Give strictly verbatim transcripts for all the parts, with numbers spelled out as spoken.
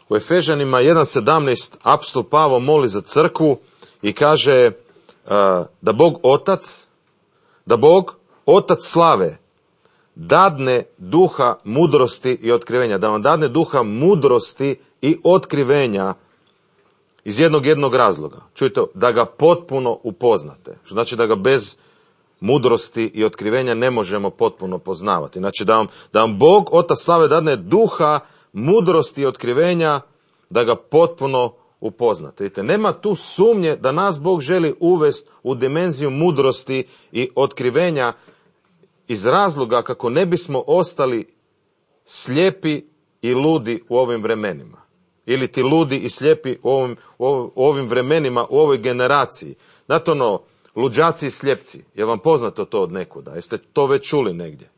U Efežanima jedan sedamnaest apostol Pavao moli za crkvu i kaže uh, da Bog Otac, da Bog Otac slave dadne duha mudrosti i otkrivenja, da vam dadne duha mudrosti i otkrivenja iz jednog jednog razloga. Čujte, da ga potpuno upoznate. Što znači da ga bez mudrosti i otkrivenja ne možemo potpuno poznavati. Znači da vam, da vam Bog Otac slave dadne duha mudrosti i otkrivenja, da ga potpuno upoznate. Vidite, nema tu sumnje da nas Bog želi uvesti u dimenziju mudrosti i otkrivenja iz razloga kako ne bismo ostali slijepi i ludi u ovim vremenima. Ili ti ludi i slijepi u ovim, u ovim vremenima, u ovoj generaciji. Znate ono, luđaci i slijepci, je vam poznato to od nekuda? Jeste to već čuli negdje?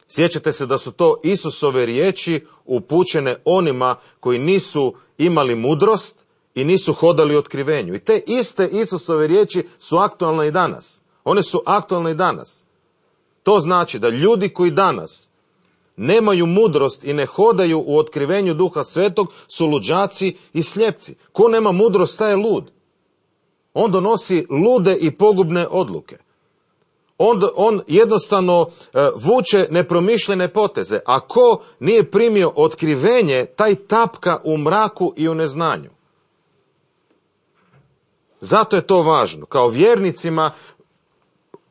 Sjećate se da su to Isusove riječi upućene onima koji nisu imali mudrost i nisu hodali u otkrivenju. I te iste Isusove riječi su aktualne i danas. One su aktualne i danas. To znači da ljudi koji danas nemaju mudrost i ne hodaju u otkrivenju Duha Svetog su luđaci i slijepci. Ko nema mudrost, taj je lud. On donosi lude i pogubne odluke. On, on jednostavno e, vuče nepromišljene poteze. A ko nije primio otkrivenje, taj tapka u mraku i u neznanju. Zato je to važno. Kao vjernicima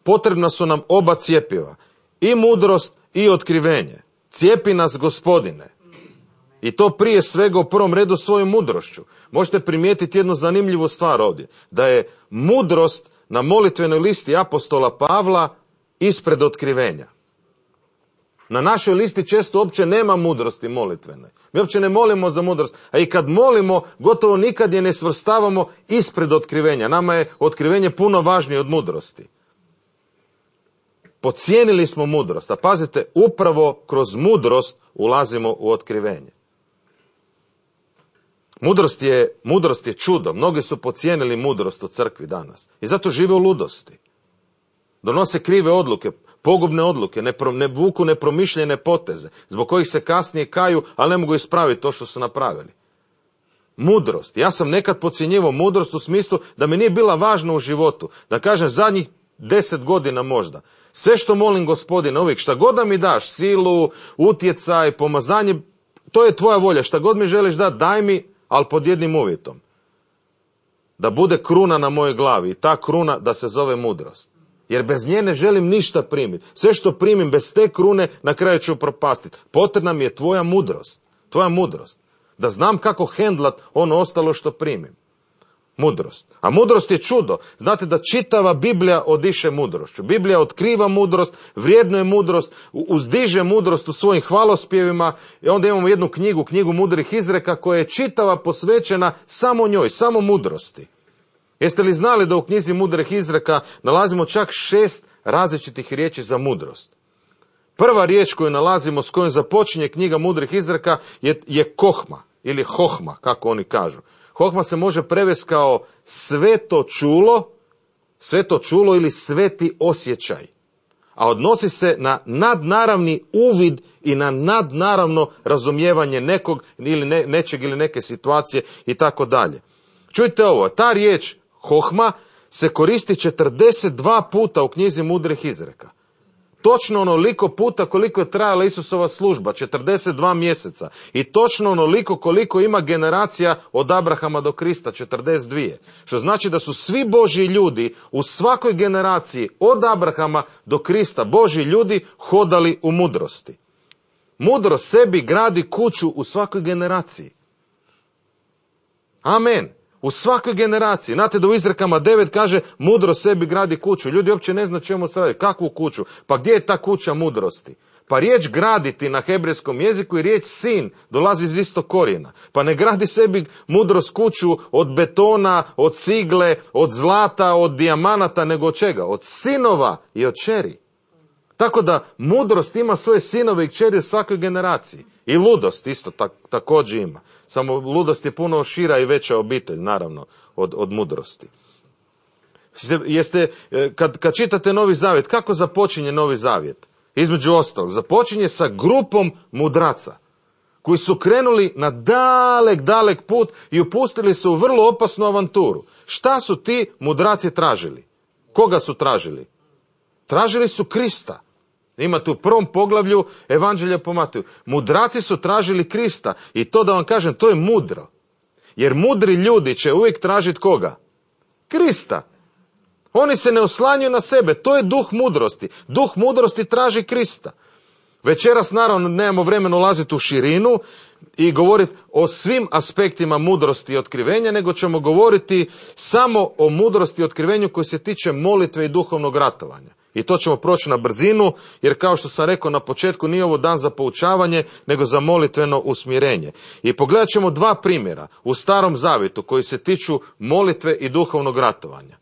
potrebna su nam oba cjepiva. I mudrost i otkrivenje. Cijepi nas Gospodine. I to prije svega u prvom redu svojom mudrošću. Možete primijetiti jednu zanimljivu stvar ovdje. Da je mudrost na molitvenoj listi apostola Pavla ispred otkrivenja. Na našoj listi često uopće nema mudrosti molitvene. Mi uopće ne molimo za mudrost. A i kad molimo, gotovo nikad je ne svrstavamo ispred otkrivenja. Nama je otkrivenje puno važnije od mudrosti. Podcijenili smo mudrost. A pazite, upravo kroz mudrost ulazimo u otkrivenje. Mudrost je, mudrost je čudo. Mnogi su podcijenili mudrost u crkvi danas. I zato žive u ludosti. Donose krive odluke, pogubne odluke, ne, pro, ne vuku nepromišljene poteze, zbog kojih se kasnije kaju, ali ne mogu ispraviti to što su napravili. Mudrost. Ja sam nekad podcjenjivao mudrost u smislu da mi nije bila važna u životu. Da kažem zadnjih deset godina možda. Sve što molim Gospodina uvijek, šta god da mi daš, silu, utjecaj, pomazanje, to je tvoja volja. Šta god mi želiš dati, daj mi, ali pod jednim uvjetom. Da bude kruna na mojoj glavi i ta kruna da se zove mudrost. Jer bez nje ne želim ništa primiti. Sve što primim bez te krune na kraju ću propastiti. Potrebna mi je tvoja mudrost. Tvoja mudrost. Da znam kako hendlat ono ostalo što primim. Mudrost. A mudrost je čudo. Znate da čitava Biblija odiše mudrošću. Biblija otkriva mudrost, vrijednuje mudrost, uzdiže mudrost u svojim hvalospjevima. I onda imamo jednu knjigu, knjigu mudrih izreka koja je čitava posvećena samo njoj, samo mudrosti. Jeste li znali da u knjizi mudrih izreka nalazimo čak šest različitih riječi za mudrost? Prva riječ koju nalazimo, s kojom započinje knjiga mudrih izreka je, je kohma ili hohma, kako oni kažu. Hohma se može prevesti kao sveto čulo, sveto čulo ili sveti osjećaj. A odnosi se na nadnaravni uvid i na nadnaravno razumijevanje nekog ili ne, nečeg ili neke situacije i tako dalje. Čujte ovo, ta riječ hohma se koristi četrdeset dva puta u knjizi mudrih izreka. Točno onoliko puta koliko je trajala Isusova služba, četrdeset dva mjeseca. I točno onoliko koliko ima generacija od Abrahama do Krista, četrdeset dva. Što znači da su svi Božji ljudi u svakoj generaciji od Abrahama do Krista, Božji ljudi hodali u mudrosti. Mudrost sebi gradi kuću u svakoj generaciji. Amen. U svakoj generaciji. Znate da u Izrekama devet kaže mudro sebi gradi kuću. Ljudi uopće ne znaju čemu se radi. Kakvu kuću? Pa gdje je ta kuća mudrosti? Pa riječ graditi na hebrejskom jeziku i riječ sin dolazi iz istog korijena. Pa ne gradi sebi mudrost kuću od betona, od cigle, od zlata, od dijamanata, nego od čega? Od sinova i od kćeri. Tako da mudrost ima svoje sinove i kćeri u svakoj generaciji. I ludost isto tak, također ima. Samo ludost je puno šira i veća obitelj, naravno, od, od mudrosti. Jeste, kad, kad čitate Novi Zavjet, kako započinje Novi Zavjet? Između ostalog, započinje sa grupom mudraca. koji su krenuli na dalek, dalek put i upustili se u vrlo opasnu avanturu. Šta su ti mudraci tražili? Koga su tražili? Tražili su Krista. Imate u prvom poglavlju Evanđelja po Mateju. Mudraci su tražili Krista i to da vam kažem, to je mudro. Jer mudri ljudi će uvijek tražiti koga? Krista. Oni se ne oslanjaju na sebe, to je duh mudrosti. Duh mudrosti traži Krista. Večeras naravno nemamo vremena ulaziti u širinu i govoriti o svim aspektima mudrosti i otkrivenja, nego ćemo govoriti samo o mudrosti i otkrivenju koji se tiče molitve i duhovnog ratovanja. I to ćemo proći na brzinu, jer kao što sam rekao na početku, nije ovo dan za poučavanje, nego za molitveno usmjerenje. I pogledat ćemo dva primjera u Starom Zavjetu koji se tiču molitve i duhovnog ratovanja.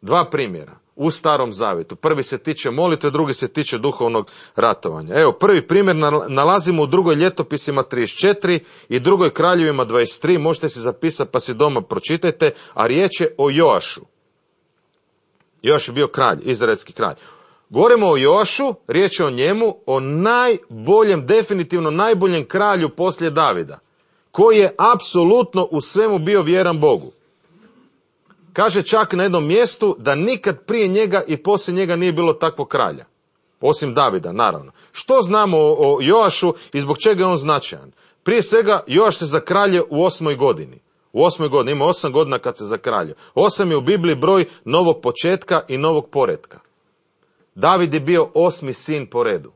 Dva primjera u Starom Zavjetu. Prvi se tiče molitve, drugi se tiče duhovnog ratovanja. Evo, prvi primjer nalazimo u drugoj Ljetopisima trideset četiri i drugoj Kraljevima dvadeset tri. Možete si zapisati pa si doma pročitajte, a riječ je o Joašu. Joaš je bio kralj, izraelski kralj. Govorimo o Joašu, riječ je o njemu, o najboljem, definitivno najboljem kralju poslije Davida, koji je apsolutno u svemu bio vjeran Bogu. Kaže čak na jednom mjestu da nikad prije njega i poslije njega nije bilo takvog kralja. Osim Davida, naravno. Što znamo o, o Joašu i zbog čega je on značajan? Prije svega, Joaš se zakralje u osmoj godini. U osmoj godini, ima osam godina kad se zakralje. Osam je u Bibliji broj novog početka i novog poretka. David je bio osmi sin po redu.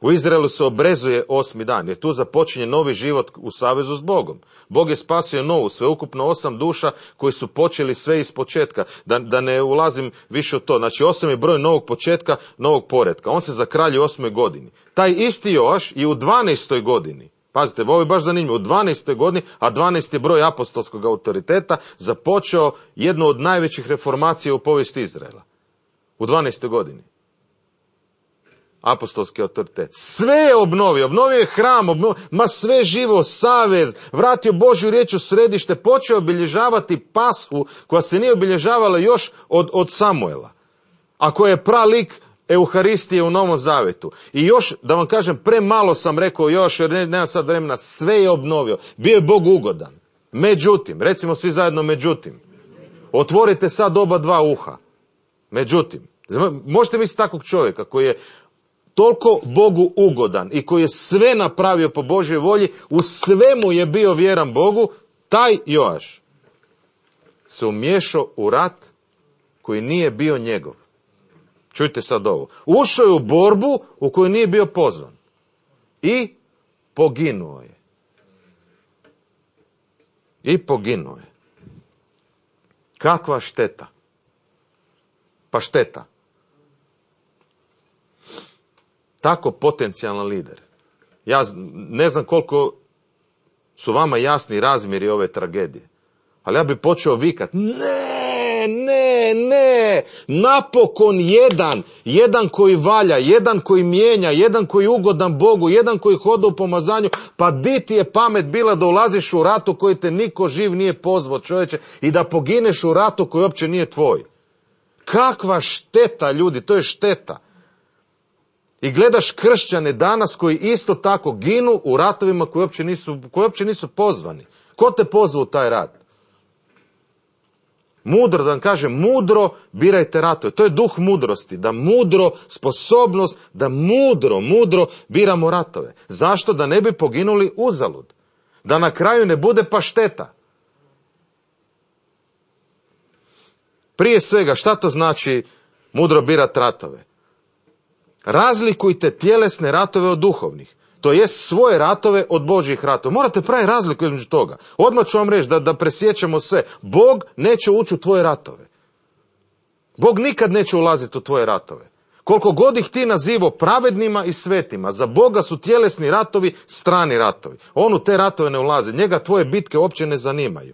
U Izraelu se obrezuje osmi dan, jer tu započinje novi život u savezu s Bogom. Bog je spasio novu, sveukupno osam duša koji su počeli sve iz početka. Da, da ne ulazim više u to. Znači, osam je broj novog početka, novog poretka. On se zakralje u osmoj godini. Taj isti Joaš i u dvanaestoj godini, pazite, ovo je baš zanimljivo, u dvanaestoj godini, a dvanaest je broj apostolskog autoriteta, započeo jednu od najvećih reformacija u povijesti Izraela. U dvanaestoj godini. Apostolski autoritet. Sve je obnovio, obnovio je hram, obnovio, ma sve živo, savez, vratio Božju riječ u središte, počeo obilježavati Pashu koja se nije obilježavala još od, od Samuela, a koja je pralik Euharistije u Novom Zavjetu. I još, da vam kažem, premalo sam rekao još, jer ne, nema sad vremena, sve je obnovio. Bio je Bog ugodan. Međutim, recimo svi zajedno međutim, otvorite sad oba dva uha. Međutim, možete misliti takvog čovjeka koji je toliko Bogu ugodan i koji je sve napravio po Božjoj volji, u svemu je bio vjeran Bogu, taj Joaš se umiješao u rat koji nije bio njegov. Čujte sad ovo. Ušao je u borbu u kojoj nije bio pozvan. I poginuo je. I poginuo je. Kakva šteta. Pa šteta. Tako potencijalan lider. Ja ne znam koliko su vama jasni razmjeri ove tragedije. Ali ja bi počeo vikat, ne, ne, ne, napokon jedan, jedan koji valja, jedan koji mijenja, jedan koji je ugodan Bogu, jedan koji hoda u pomazanju, pa di ti je pamet bila da ulaziš u ratu koji te niko živ nije pozvao, čovječe, i da pogineš u ratu koji uopće nije tvoj. Kakva šteta, ljudi, to je šteta. I gledaš kršćane danas koji isto tako ginu u ratovima koji uopće nisu, koji uopće nisu pozvani. Ko te pozva u taj rat? Mudro, da vam kažem, mudro birajte ratove. To je duh mudrosti, da mudro, sposobnost, da mudro, mudro biramo ratove. Zašto? Da ne bi poginuli uzalud. Da na kraju ne bude pašteta. Prije svega, šta to znači mudro birati ratove? Razlikujte tjelesne ratove od duhovnih. To jest svoje ratove od Božjih ratova. Morate praviti razliku između toga. Odmah ću vam reći da, da presjećamo sve. Bog neće ući u tvoje ratove. Bog nikad neće ulaziti u tvoje ratove. Koliko god ih ti nazivao pravednima i svetima, za Boga su tjelesni ratovi strani ratovi. On u te ratove ne ulazi. Njega tvoje bitke uopće ne zanimaju.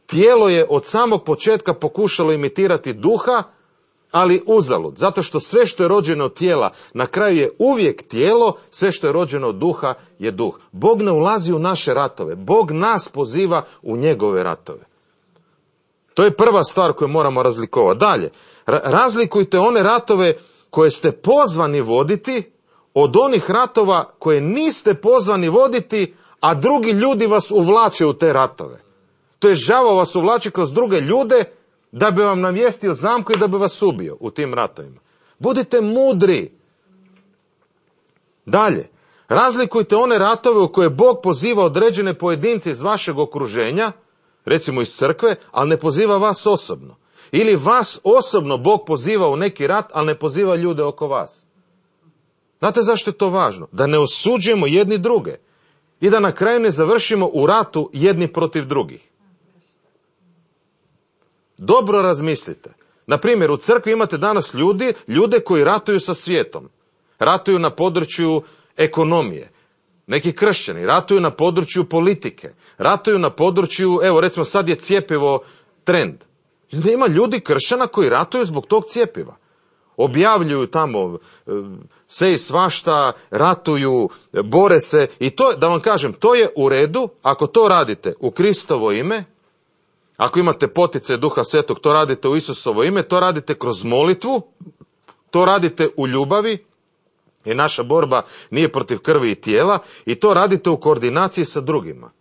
Tijelo je od samog početka pokušalo imitirati duha, ali uzalud, zato što sve što je rođeno od tijela na kraju je uvijek tijelo, sve što je rođeno od duha je duh. Bog ne ulazi u naše ratove, Bog nas poziva u njegove ratove. To je prva stvar koju moramo razlikovati. Dalje, razlikujte one ratove koje ste pozvani voditi od onih ratova koje niste pozvani voditi, a drugi ljudi vas uvlače u te ratove. To je đavo vas uvlači kroz druge ljude da bi vam navijestio zamku i da bi vas ubio u tim ratovima. Budite mudri. Dalje, razlikujte one ratove u koje Bog poziva određene pojedince iz vašeg okruženja, recimo iz crkve, ali ne poziva vas osobno. Ili vas osobno Bog poziva u neki rat, ali ne poziva ljude oko vas. Znate zašto je to važno? Da ne osuđujemo jedni druge i da na kraju ne završimo u ratu jedni protiv drugih. Dobro razmislite. Na primjer, u crkvi imate danas ljudi, ljude koji ratuju sa svijetom. Ratuju na području ekonomije. Neki kršćani ratuju na području politike. Ratuju na području, evo recimo sad je cjepivo trend. Ima ljudi kršćana koji ratuju zbog tog cjepiva. Objavljuju tamo sve i svašta, ratuju, bore se. I to, da vam kažem, to je u redu ako to radite u Kristovo ime. Ako imate poticaj Duha Svetog, to radite u Isusovo ime, to radite kroz molitvu, to radite u ljubavi, jer naša borba nije protiv krvi i tijela, i to radite u koordinaciji sa drugima.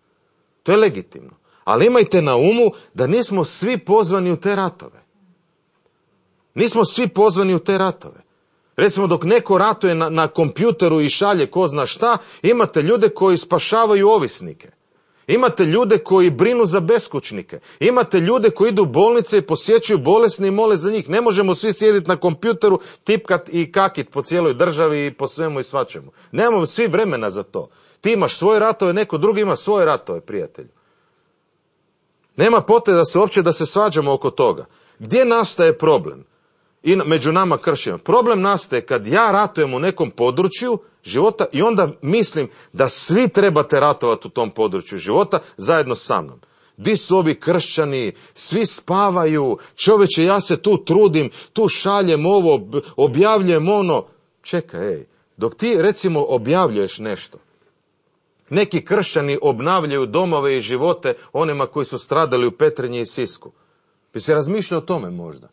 To je legitimno. Ali imajte na umu da nismo svi pozvani u te ratove. Nismo svi pozvani u te ratove. Recimo, dok neko ratuje na, na kompjuteru i šalje ko zna šta, imate ljude koji spašavaju ovisnike. Imate ljude koji brinu za beskućnike. Imate ljude koji idu u bolnice i posjećuju bolesne i mole za njih. Ne možemo svi sjediti na kompjuteru, tipkat i kakit po cijeloj državi i po svemu i svačemu. Nemamo svi vremena za to. Ti imaš svoje ratove, neko drugi ima svoje ratove, prijatelju. Nema potrebe da se uopće da se svađamo oko toga. Gdje nastaje problem? I među nama kršćanima. Problem nastaje kad ja ratujem u nekom području života i onda mislim da svi trebate ratovati u tom području života zajedno sa mnom. Di su ovi kršćani? Svi spavaju. Čovječe, ja se tu trudim, tu šaljem ovo, objavljujem ono. Čekaj, ej, dok ti recimo objavljuješ nešto, neki kršćani obnavljaju domove i živote onima koji su stradali u Petrinji i Sisku. Bi se razmišljao o tome možda?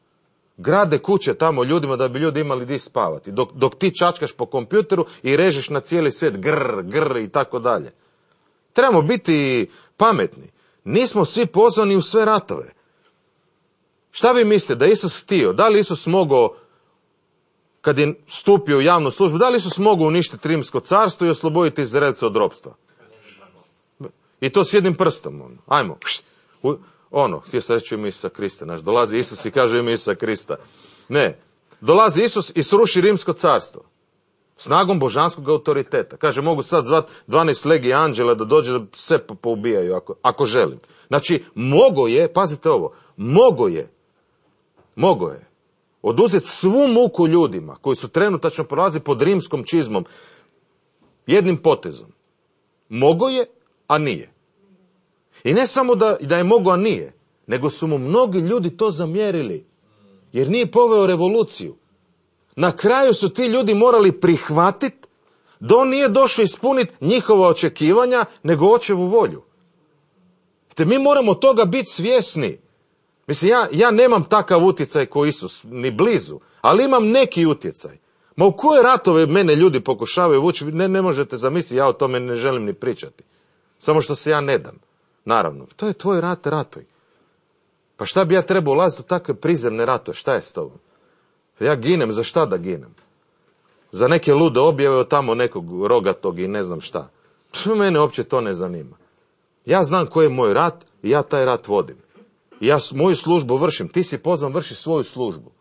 Grade kuće tamo ljudima da bi ljudi imali di spavati. Dok, dok ti čačkaš po kompjuteru i režeš na cijeli svijet grr, grr i tako dalje. Trebamo biti pametni. Nismo svi pozvani u sve ratove. Šta vi mislite da Isus htio? Da li Isus mogao, kad je stupio u javnu službu, da li Isus mogao uništiti Rimsko carstvo i osloboditi Izraelce od ropstva? I to s jednim prstom. Ono. Ajmo. U, ono, htio sam reći u ime Isusa Krista. Naš, dolazi Isus i kaže u ime Isusa Krista. Ne. Dolazi Isus i sruši Rimsko carstvo. Snagom božanskog autoriteta. Kaže, mogu sad zvat dvanaest legija anđela da dođe da sve poubijaju ako, ako želim. Znači, mogo je, pazite ovo, mogo je, mogo je oduzeti svu muku ljudima koji su trenutačno prolazili pod rimskom čizmom jednim potezom. Mogo je, a nije. I ne samo da, da je mogo, a nije, nego su mu mnogi ljudi to zamjerili, jer nije poveo revoluciju. Na kraju su ti ljudi morali prihvatiti da on nije došao ispuniti njihova očekivanja, nego očevu volju. Te mi moramo toga biti svjesni. Mislim, ja, ja nemam takav utjecaj ko Isus, ni blizu, ali imam neki utjecaj. Ma u koje ratove mene ljudi pokušavaju vući, ne, ne možete zamisliti, ja o tome ne želim ni pričati. Samo što se ja ne dam. Naravno, to je tvoj rat, ratuj. Pa šta bi ja trebao ulaziti u takve prizemne ratove, šta je s tobom? Ja ginem, za šta da ginem? Za neke lude objave od tamo nekog rogatog i ne znam šta. Mene uopće to ne zanima. Ja znam koji je moj rat i ja taj rat vodim. I ja moju službu vršim. Ti si pozvan, vrši svoju službu.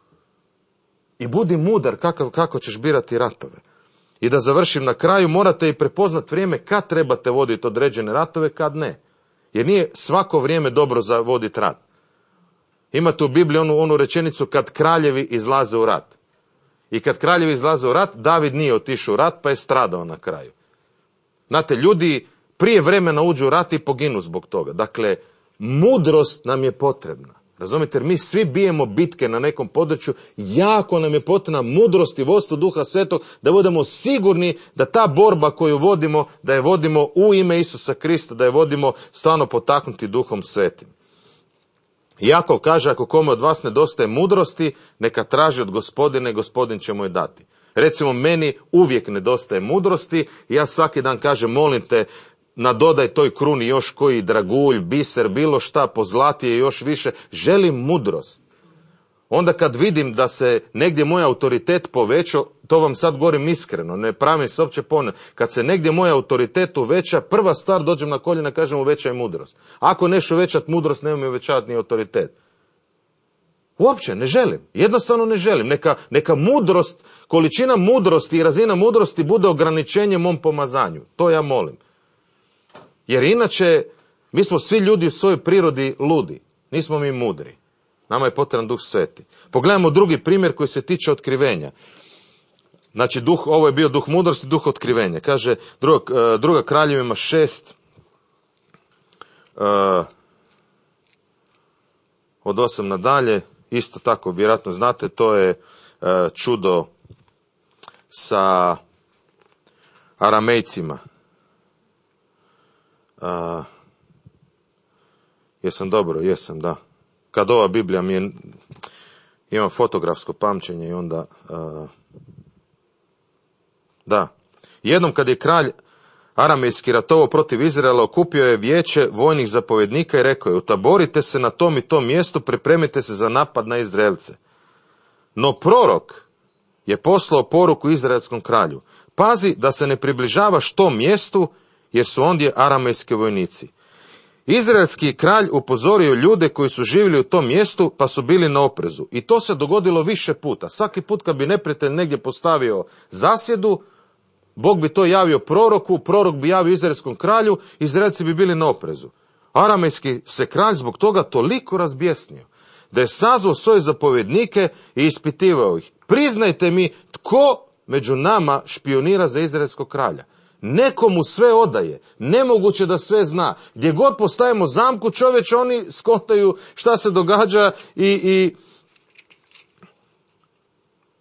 I budi mudar kako, kako ćeš birati ratove. I da završim na kraju, morate i prepoznat vrijeme kad trebate voditi određene ratove, kad ne. Jer nije svako vrijeme dobro za voditi rat. Imate u Bibliji onu, onu rečenicu kad kraljevi izlaze u rat. I kad kraljevi izlaze u rat, David nije otišao u rat pa je stradao na kraju. Znate, ljudi prije vremena uđu u rat i poginu zbog toga. Dakle, mudrost nam je potrebna. Razumite, jer mi svi bijemo bitke na nekom području, jako nam je potrebna mudrost i vodstvo Duha Svetog da budemo sigurni da ta borba koju vodimo, da je vodimo u ime Isusa Krista, da je vodimo stvarno potaknuti Duhom Svetim. Jakov kaže, ako kome od vas nedostaje mudrosti, neka traži od Gospodina i Gospodin će mu je dati. Recimo, meni uvijek nedostaje mudrosti i ja svaki dan kažem, molim te, nadodaj toj kruni još koji dragulj, biser, bilo šta, pozlatije još više. Želim mudrost. Onda kad vidim da se negdje moj autoritet povećao, to vam sad govorim iskreno, ne pravim se uopće ponovno. Kad se negdje moj autoritet uveća, prva stvar dođem na koljena i kažem uvećaj mudrost. Ako neš uvećati mudrost, nemoj mi uvećavati ni autoritet. Uopće ne želim, jednostavno ne želim. Neka, neka mudrost, količina mudrosti i razina mudrosti bude ograničenje mom pomazanju. To ja molim. Jer inače, mi smo svi ljudi u svojoj prirodi ludi. Nismo mi mudri. Nama je potreban Duh Sveti. Pogledajmo drugi primjer koji se tiče otkrivenja. Znači, duh, ovo je bio duh mudrosti, duh otkrivenja. Kaže druga, druga Kraljevima šest, uh, od osam nadalje, isto tako, vjerojatno znate, to je uh, čudo sa Aramejcima. Uh, jesam dobro, jesam, da. Kad ova Biblija mi je, imam fotografsko pamćenje i onda, uh, da. Jednom kad je kralj aramejski ratovao protiv Izraela, okupio je vijeće vojnih zapovjednika i rekao je, utaborite se na tom i tom mjestu, pripremite se za napad na Izraelce. No prorok je poslao poruku izraelskom kralju, pazi da se ne približavaš tom mjestu, jer su ondje aramejski vojnici. Izraelski kralj upozorio ljude koji su živjeli u tom mjestu, pa su bili na oprezu. I to se dogodilo više puta. Svaki put kad bi neprijatelj negdje postavio zasjedu, Bog bi to javio proroku, prorok bi javio izraelskom kralju, Izraelci bi bili na oprezu. Aramejski se kralj zbog toga toliko razbjesnio, da je sazvao svoje zapovjednike i ispitivao ih. Priznajte mi, tko među nama špionira za izraelskog kralja? Nekomu sve odaje, nemoguće da sve zna. Gdje god postavimo zamku, čovječe, oni skontaju šta se događa i, i,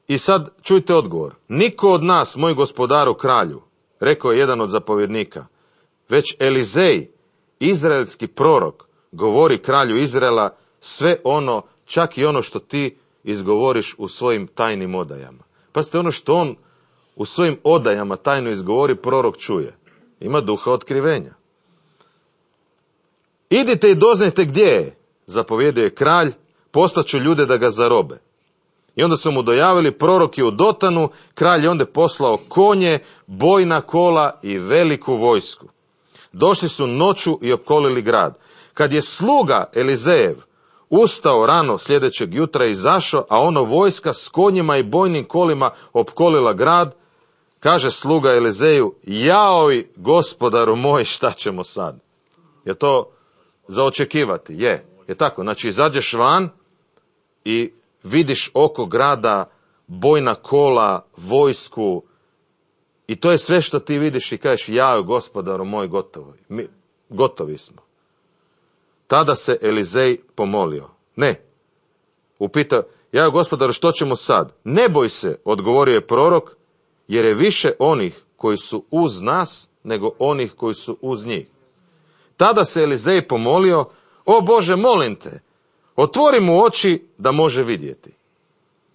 i sad čujte odgovor. Niko od nas, moj gospodaru kralju, rekao je jedan od zapovjednika, već Elizej, izraelski prorok, govori kralju Izraela sve ono, čak i ono što ti izgovoriš u svojim tajnim odajama. Pazite, ono što on u svojim odajama tajno izgovori, prorok čuje. Ima duha otkrivenja. Idite i doznajte gdje je, zapovjedio je kralj, poslaću ljude da ga zarobe. I onda su mu dojavili, prorok je u Dotanu, kralj je onda poslao konje, bojna kola i veliku vojsku. Došli su noću i opkolili grad. Kad je sluga Elizejev ustao rano sljedećeg jutra i izašao, a ono vojska s konjima i bojnim kolima opkolila grad, kaže sluga Elizeju, jaoj gospodaru moj, šta ćemo sad? Je to za očekivati? Je. Je tako? Znači, izađeš van i vidiš oko grada bojna kola, vojsku, i to je sve što ti vidiš i kažeš, jaoj gospodaru moj, gotovi. Mi, gotovi smo. Tada se Elizej pomolio. Ne. Upitao, jaoj gospodaru, što ćemo sad? Ne boj se, odgovorio je prorok, jer je više onih koji su uz nas, nego onih koji su uz njih. Tada se Elizej pomolio, o Bože, molim te, otvori mu oči da može vidjeti.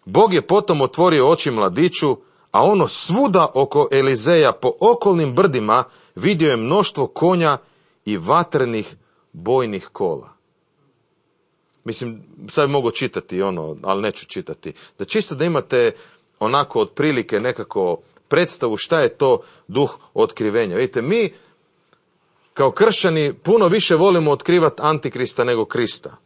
Bog je potom otvorio oči mladiću, a ono svuda oko Elizeja po okolnim brdima vidio je mnoštvo konja i vatrenih bojnih kola. Mislim, sad mogu čitati ono, ali neću čitati. Da čisto da imate onako otprilike nekako predstavu šta je to duh otkrivenja. Vidite, mi kao kršćani puno više volimo otkrivati Antikrista nego Krista.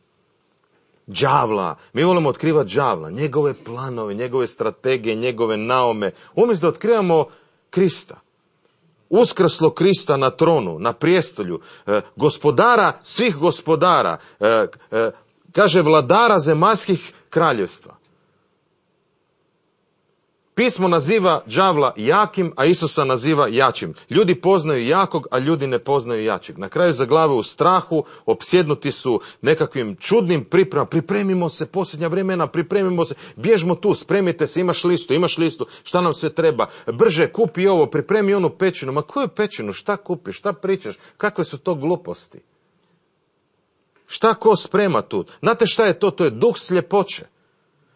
Đavla. Mi volimo otkrivati đavla, njegove planove, njegove strategije, njegove naume. Umjesto da otkrivamo Krista. Uskrslo Krista na tronu, na prijestolju, eh, gospodara svih gospodara, eh, eh, kaže vladara zemaljskih kraljevstva. Pismo naziva đavla jakim, a Isusa naziva jačim. Ljudi poznaju jakog, a ljudi ne poznaju jačeg. Na kraju zaglave u strahu, opsjednuti su nekakvim čudnim pripremama. Pripremimo se, posljednja vremena, pripremimo se, bježmo tu, spremite se, imaš listu, imaš listu, šta nam sve treba, brže kupi ovo, pripremi onu pećinu. Ma koju pećinu, šta kupiš, šta pričaš, kakve su to gluposti? Šta ko sprema tu? Znate šta je to? To je duh sljepoće.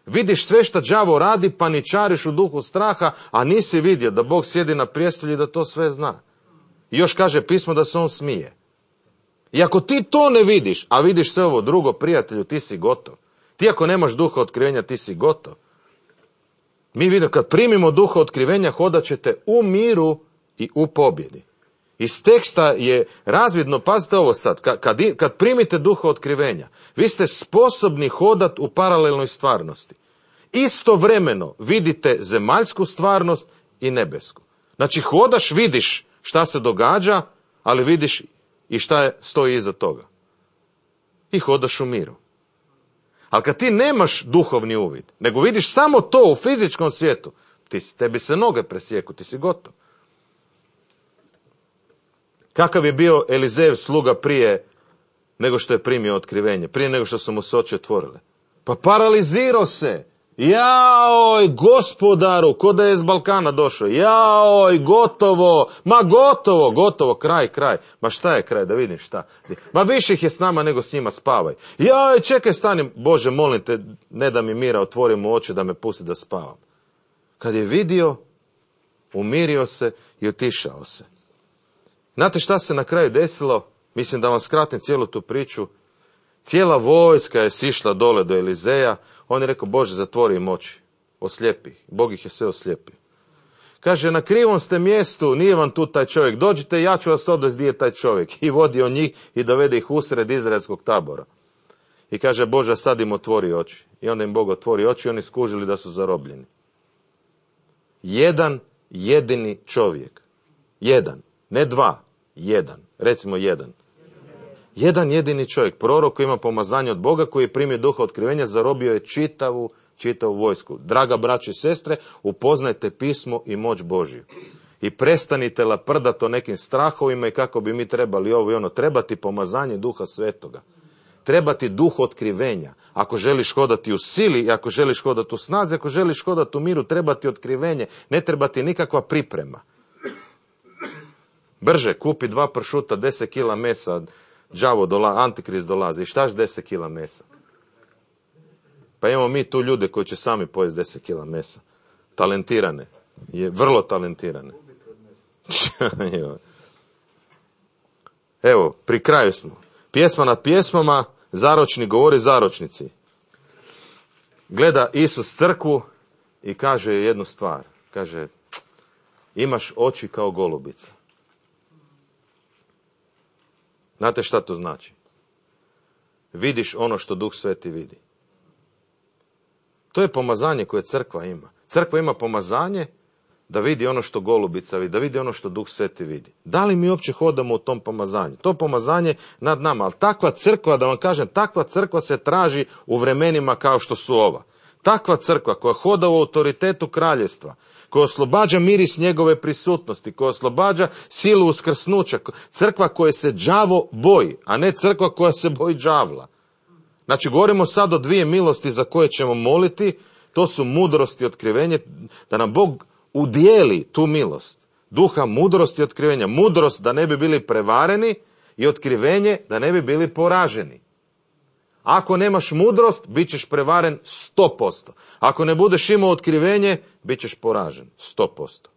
Vidiš sve što đavo radi, paničariš u duhu straha, a nisi vidio da Bog sjedi na prijestolju i da to sve zna. I još kaže pismo da se on smije. I ako ti to ne vidiš, a vidiš sve ovo drugo, prijatelju, ti si gotov. Ti ako nemaš duha otkrivenja, ti si gotov. Mi vidimo, kad primimo duha otkrivenja, hodat ćete u miru i u pobjedi. Iz teksta je razvidno, pazite ovo sad, kad, kad, kad primite duha otkrivenja, vi ste sposobni hodat u paralelnoj stvarnosti. Istovremeno vidite zemaljsku stvarnost i nebesku. Znači hodaš, vidiš šta se događa, ali vidiš i šta je, stoji iza toga. I hodaš u miru. Ali kad ti nemaš duhovni uvid, nego vidiš samo to u fizičkom svijetu, ti, tebi se noge presjeku, ti si gotov. Kakav je bio Elizejev sluga prije nego što je primio otkrivenje, prije nego što su mu se oči otvorile? Pa paralizirao se. Jaoj, gospodaru, ko da je iz Balkana došao. Jaoj, gotovo, ma gotovo, gotovo, kraj, kraj. Ma šta je kraj, da vidim šta. Ma više ih je s nama nego s njima, spavaj. Jaoj, čekaj, stani, Bože, molim te, ne da mi mira, otvori mu oči da me pusti da spavam. Kad je vidio, umirio se i otišao se. Znate šta se na kraju desilo? Mislim da vam skratim cijelu tu priču. Cijela vojska je sišla dole do Elizeja. On je rekao, Bože, zatvori im oči, oslijepi ih. Bog ih je sve oslijepio. Kaže, na krivom ste mjestu, nije vam tu taj čovjek. Dođite, ja ću vas odvesti gdje je taj čovjek. I vodio njih i dovede ih usred izraelskog tabora. I kaže, Bože, sad im otvori oči. I onda im Bog otvori oči i oni skužili da su zarobljeni. Jedan jedini čovjek. Jedan. Ne dva. Jedan. Recimo jedan. Jedan jedini čovjek, prorok koji ima pomazanje od Boga, koji je primio duha otkrivenja, zarobio je čitavu, čitavu vojsku. Draga braćo i sestre, upoznajte pismo i moć Božju. I prestanite laprdati o nekim strahovima i kako bi mi trebali ovo i ono. Trebati pomazanje duha svetoga. Trebati duh otkrivenja. Ako želiš hodati u sili, ako želiš hodati u snazi, ako želiš hodati u miru, trebati otkrivenje. Ne trebati nikakva priprema. Brže, kupi dva pršuta, deset kila mesa, đavo dola, antikrist dolazi. I štaš deset kila mesa? Pa imamo mi tu ljude koji će sami pojesti deset kila mesa. Talentirane. Je vrlo talentirane. Evo, pri kraju smo. Pjesma nad pjesmama, zaročni govori zaročnici. Gleda Isus crkvu i kaže jednu stvar. Kaže, imaš oči kao golubica. Znate šta to znači? Vidiš ono što Duh Sveti vidi. To je pomazanje koje crkva ima. Crkva ima pomazanje da vidi ono što golubica vidi, da vidi ono što Duh Sveti vidi. Da li mi uopće hodamo u tom pomazanju? To pomazanje nad nama, ali takva crkva, da vam kažem, takva crkva se traži u vremenima kao što su ova. Takva crkva koja hoda u autoritetu kraljevstva, koja oslobađa miris njegove prisutnosti, koja oslobađa silu uskrsnuća, crkva koja se đavo boji, a ne crkva koja se boji đavla. Znači, govorimo sad o dvije milosti za koje ćemo moliti, to su mudrost i otkrivenje, da nam Bog udijeli tu milost. Duha mudrosti i otkrivenja. Mudrost da ne bi bili prevareni i otkrivenje da ne bi bili poraženi. Ako nemaš mudrost, bit ćeš prevaren sto posto. Ako ne budeš imao otkrivenje, bit ćeš poražen sto posto.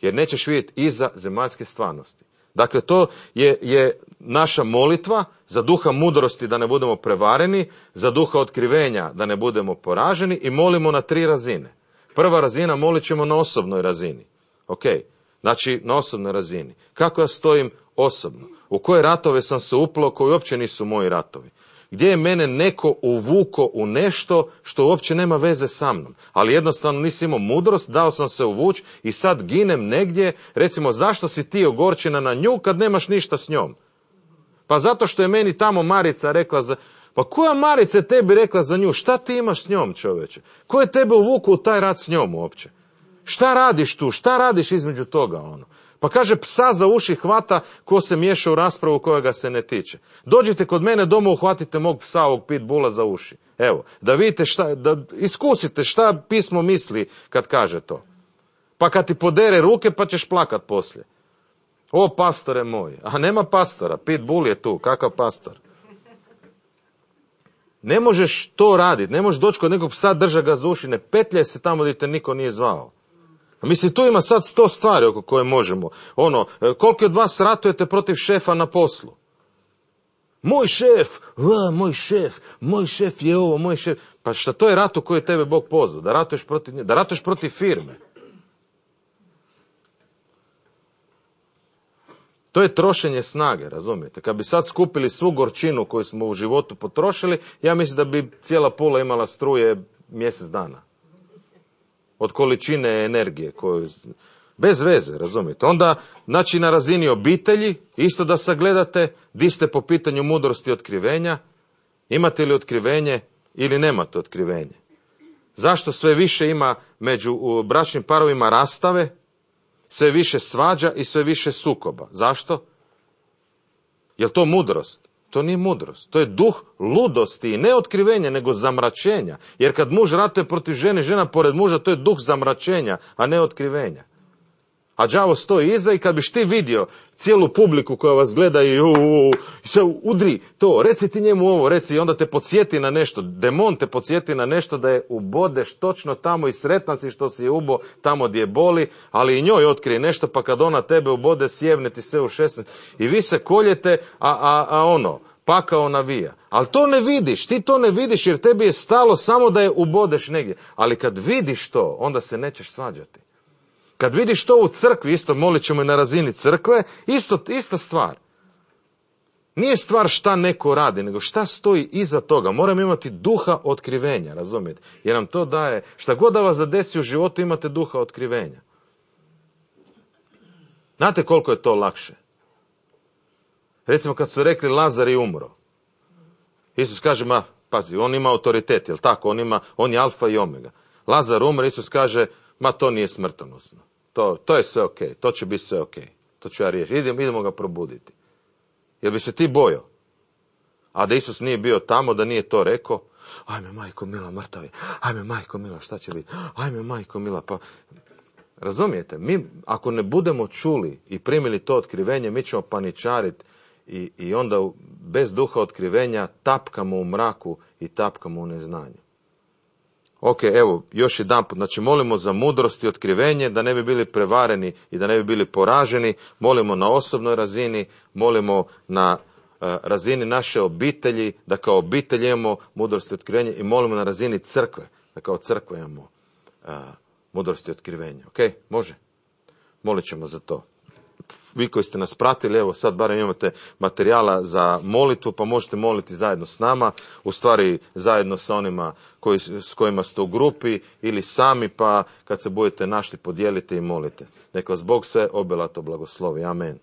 Jer nećeš vidjeti iza zemaljske stvarnosti. Dakle, to je, je naša molitva za duha mudrosti da ne budemo prevareni, za duha otkrivenja da ne budemo poraženi i molimo na tri razine. Prva razina molit ćemo na osobnoj razini. Ok, znači na osobnoj razini. Kako ja stojim osobno? U koje ratove sam se uplao koji uopće nisu moji ratovi? Gdje je mene neko uvuko u nešto što uopće nema veze sa mnom? Ali jednostavno nisi imao mudrost, dao sam se uvući i sad ginem negdje. Recimo, zašto si ti ogorčena na nju kad nemaš ništa s njom? Pa zato što je meni tamo Marica rekla za... Pa koja Marica je tebi rekla za nju? Šta ti imaš s njom, čoveče? Ko je tebe uvukao u taj rat s njom uopće? Šta radiš tu? Šta radiš između toga, ono? Pa kaže, psa za uši hvata ko se miješa u raspravu koja ga se ne tiče. Dođite kod mene doma, uhvatite mog psa, ovog pitbula za uši. Evo, da vidite šta, da iskusite šta pismo misli kad kaže to. Pa kad ti podere ruke, pa ćeš plakat poslije. O, pastore moj, a nema pastora, pitbull je tu, kakav pastor? Ne možeš to raditi, ne možeš doći kod nekog psa, drža ga za uši, ne petljaj se tamo gdje te niko nije zvao. A mislim, tu ima sad sto stvari oko koje možemo. Ono, koliko od vas ratujete protiv šefa na poslu? Moj šef, a, moj šef, moj šef je ovo, moj šef. Pa šta, to je rat u koji je tebe Bog pozvao, da ratuješ protiv nje, da ratuješ protiv firme. To je trošenje snage, razumijete? Kad bi sad skupili svu gorčinu koju smo u životu potrošili, ja mislim da bi cijela Pula imala struje mjesec dana. Od količine energije koju... Bez veze, razumijete? Onda, znači na razini obitelji, isto da sagledate, di ste po pitanju mudrosti i otkrivenja, imate li otkrivenje ili nemate otkrivenje. Zašto sve više ima među bračnim parovima rastave, sve više svađa i sve više sukoba? Zašto? Jel to mudrost? To nije mudrost. To je duh ludosti i ne otkrivenja, nego zamračenja. Jer kad muž ratuje protiv žene, žena pored muža, to je duh zamračenja, a ne otkrivenja. A đavo stoji iza i kad biš ti vidio cijelu publiku koja vas gleda i sve udri to, reci ti njemu ovo, reci, i onda te podsjeti na nešto, demon te podsjeti na nešto da je ubodeš točno tamo i sretna si što si je ubo tamo gdje boli, ali i njoj otkrije nešto, pa kad ona tebe ubode, sjevne ti sve u šesnaest i vi se koljete, a, a, a ono, pakao navija. Ali to ne vidiš, ti to ne vidiš jer tebi je stalo samo da je ubodeš negdje. Ali kad vidiš to, onda se nećeš svađati. Kad vidiš to u crkvi, isto molit ćemo i na razini crkve, isto, ista stvar. Nije stvar šta neko radi, nego šta stoji iza toga. Moramo imati duha otkrivenja, razumijete? Jer nam to daje, šta god da vas zadesi u životu, imate duha otkrivenja. Znate koliko je to lakše? Recimo kad su rekli Lazar je umro. Isus kaže, ma, pazi, on ima autoritet, jel tako? On, ima, on je alfa i omega. Lazar umre, Isus kaže, ma to nije smrtonosno. To, to je sve ok, to će biti sve ok. To ću ja riješiti. Idemo, idemo ga probuditi. Jel bi se ti bojao? A da Isus nije bio tamo, da nije to rekao, ajme majko mila, mrtav je, ajme majko mila, šta će biti, ajme majko mila, pa... Razumijete, mi ako ne budemo čuli i primili to otkrivenje, mi ćemo paničariti i, i onda bez duha otkrivenja tapkamo u mraku i tapkamo u neznanju. Ok, evo, još jedan put, znači molimo za mudrost i otkrivenje, da ne bi bili prevareni i da ne bi bili poraženi, molimo na osobnoj razini, molimo na uh, razini naše obitelji, da kao obitelj imamo mudrost i otkrivenje i molimo na razini crkve, da kao crkva imamo uh, mudrost i otkrivenje. Ok, može? Molit ćemo za to. Vi koji ste nas pratili, evo sad barem imate materijala za molitvu, pa možete moliti zajedno s nama, u stvari zajedno sa onima koji, s kojima ste u grupi ili sami, pa kad se budete našli podijelite i molite. Neka vas Bog sve obilato blagoslovi. Amen.